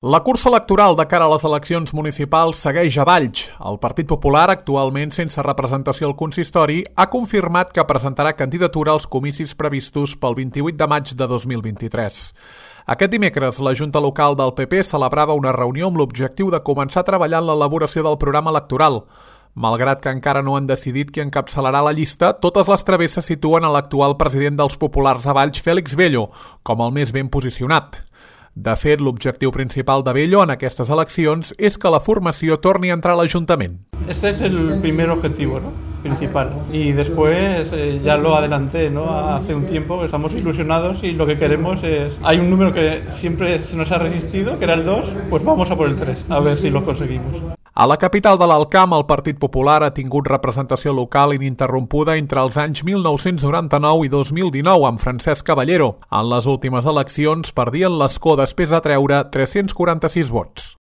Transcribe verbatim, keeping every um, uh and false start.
La cursa electoral de cara a les eleccions municipals segueix a Valls. El Partit Popular, actualment sense representació al consistori, ha confirmat que presentarà candidatura als comicis previstos pel vint-i-vuit de maig de dos mil vint-i-tres. Aquest dimecres, la Junta Local del P P celebrava una reunió amb l'objectiu de començar a treballar en l'elaboració del programa electoral. Malgrat que encara no han decidit qui encapçalarà la llista, totes les travesses situen a l'actual president dels populars a Valls, Félix Bello, com el més ben posicionat. De fet, l'objectiu principal de Bello en aquestes eleccions és que la formació torni a entrar a l'Ajuntament. Este es el primer objetivo, ¿no? Principal. Y después eh, ya lo adelanté, ¿no? Hace un tiempo, estamos ilusionados y lo que queremos es... Hay un número que siempre se nos ha resistido, que era el dos, pues vamos a por el tres, a ver si lo conseguimos. A la capital de l'Alt Camp, el Partit Popular ha tingut representació local ininterrompuda entre els anys mil nou-cents noranta-nou i dos mil dinou amb Francesc Caballero. En les últimes eleccions perdien l'escó després de treure tres-cents quaranta-sis vots.